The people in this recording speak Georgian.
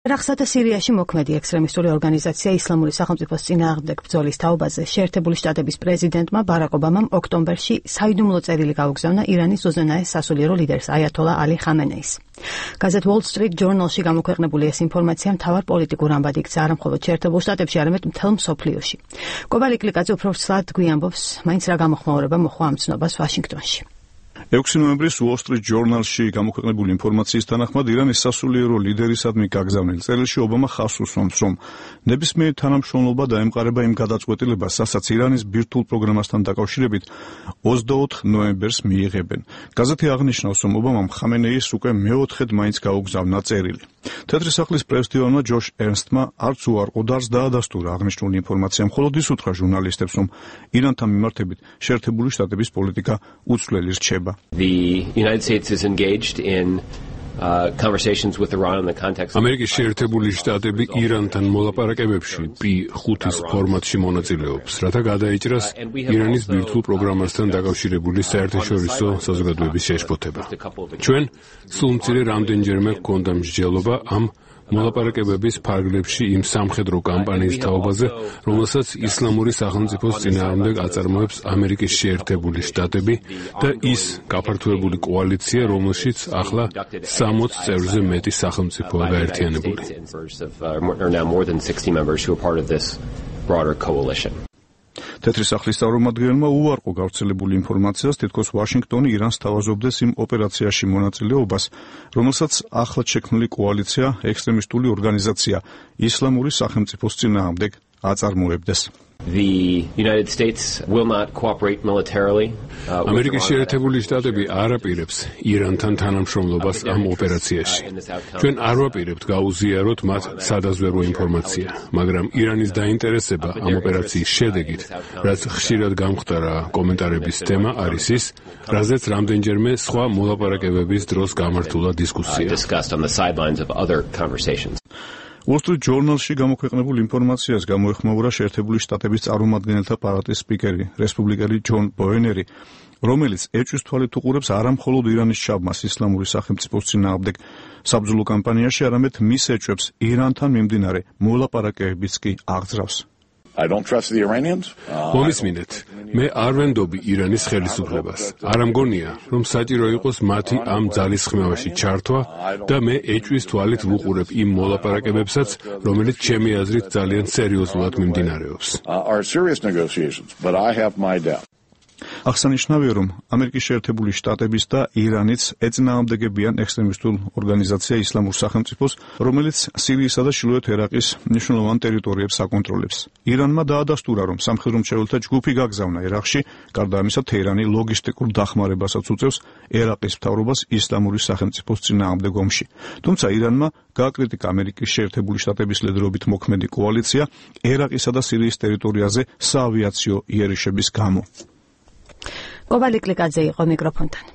ერაყსა და სირიაში მოქმედი ექსტრემისტული ორგანიზაცია ისლამური სახელმწიფოს წინააღმდეგ ბრძოლის თაობაზე შეერთებული შტატების პრეზიდენტმა ბარაკ ობამამ ოქტომბერში საიდუმლო წერილი გაუგზავნა ირანის უზენაეს სასულიერო ლიდერს აიათოლა ალი ხამენეის. გაზეთ Wall Street Journal-ში გამოქვეყნებული ეს ინფორმაცია მთავარ პოლიტიკურ ამბად იქცა არა მხოლოდ შეერთებულ შტატებში, არამედ მთელ მსოფლიოში. კობალი კლიკაძე უფრო ცალად გვიამბობს, მაინც რა გამოხმაურება მოხდა ამ ცნობას ვაშინგტონში. 6 ნოემბრის Wall Street Journal-ში გამოქვეყნებული ინფორმაციის თანახმად ირანის სასულიერო ლიდერისადმი გაგზავნილ წერილში ობამა ხაზს უსვამს, რომ ნებისმიერი თანამშრომლობა დაემყარება იმ გადაწყვეტილებას, რასაც ირანის ბირთვულ პროგრამასთან დაკავშირებით 24 ნოემბერს მიიღებენ. გაზეთი აღნიშნავს, რომ ობამამ ხამენეის უკვე მეოთხედ მაინც გაუგზავნა წერილი. თეთრი სახლის პრესდივანმა ჯოშ ერნსტმა არც უარყო და არც დაადასტურა აღნიშნული ინფორმაცია, მხოლოდ ის უთხრა ჟურნალისტებს, რომ ირანთან მიმართებით შეერთებული შტატების პოლიტიკა უცვლელი რჩება. The United States is engaged in conversations with Iran in the context of ამერიკის შეერთებული შტატები ირანთან მოლაპარაკებებში P5-ის ფორმატში მონაწილეობს, რათა გადაეჭრას ირანის ბირთვულ პროგრამასთან დაკავშირებული საერთაშორისო საზოგადოების შეშფოთება. ჩვენ სულ მცირე რამდენჯერმე გვქონდა მსჯელობა ამ მოლაპარაკებების ფარგლებში იმ სამხედრო კამპანიის თაობაზე, რომელსაც ისლამური სახელმწიფოს წინააღმდეგ აწარმოებს ამერიკის შეერთებული შტატები და ის გაფართოებული კოალიცია, რომელშიც ახლა 60 წევრზე მეტი სახელმწიფოა გაერთიანებული. თეთრი სახლის წარმომადგენელმა უარყო გავრცელებული ინფორმაციას, თითქოს ვაშინგტონი ირანს თავაზობდეს იმ ოპერაციაში მონაწილეობას, რომელსაც ახლად შექმნილი კოალიცია ექსტრემისტული ორგანიზაცია ისლამური სახელმწიფოს წინააღმდეგ აწარმოებდეს. The United States will not cooperate militarily. ამერიკის შეერთებული შტატები არ აპირებს ირანთან თანამშრომლობას ამ ოპერაციაში. ჩვენ არ ვაპირებთ გაუზიაროთ მათ სადაზვერვო ინფორმაცია, მაგრამ ირანის დაინტერესება ამ ოპერაციის შედეგით, რაც ხშირად გამხდარა კომენტარების თემა, არის ის, რაზეც რამდენჯერმე სხვა მოლაპარაკებების დროს გამართულა დისკუსია. Wall Street Journal-ში გამოქვეყნებულ ინფორმაციას გამოეხმაურა შეერთებული შტატების წარმომადგენელთა პალატის სპიკერი, რესპუბლიკელი ჯონ ბოენერი, რომელიც ეჭვის თვალით უყურებს არა მხოლოდ ირანის ჩაბმას ისლამური სახელმწიფოს წინააღმდეგ საბრძოლო კამპანიაში, არამედ მის ეჭვებს ირანთან მიმდინარე მოლაპარაკებებიც კი აღძრავს. მომისმინეთ, მე არ ვენდობი ირანის ხელისუფლებას. არ ამგონია, რომ საჭირო იყოს მათი ამ ძალისხმევაში ჩართვა და მე ეჭვის თვალით ვუყურებ იმ მოლაპარაკებებსაც, რომელიც ჩემი აზრით ძალიან სერიოზულად მიმდინარეობს. აღსანიშნავია, რომ ამერიკის შეერთებული შტატების და ირანიც ეწინააღმდეგებიან ექსტრემისტულ ორგანიზაცია ისლამურ სახელმწიფოს, რომელიც სირიისა და ჩრდილოეთ ერაყის მნიშვნელოვან ტერიტორიებს აკონტროლებს. ირანმა დაადასტურა, რომ სამხედრო მრჩეველთა ჯგუფი გაგზავნა ერაყში, გარდა ამისა თეირანი ლოგისტიკურ დახმარებასაც უწევს ერაყის მთავრობას ისლამური სახელმწიფოს წინააღმდეგ ომში. თუმცა ირანმა გააკრიტიკა ამერიკის შეერთებული შტატების ლიდერობით მოქმედი კოალიცია ერაყისა და სირიის ტერიტორიაზე საავიაციო იერიშების გამო. კობალი კლიკაძე იყო მიკროფონთან.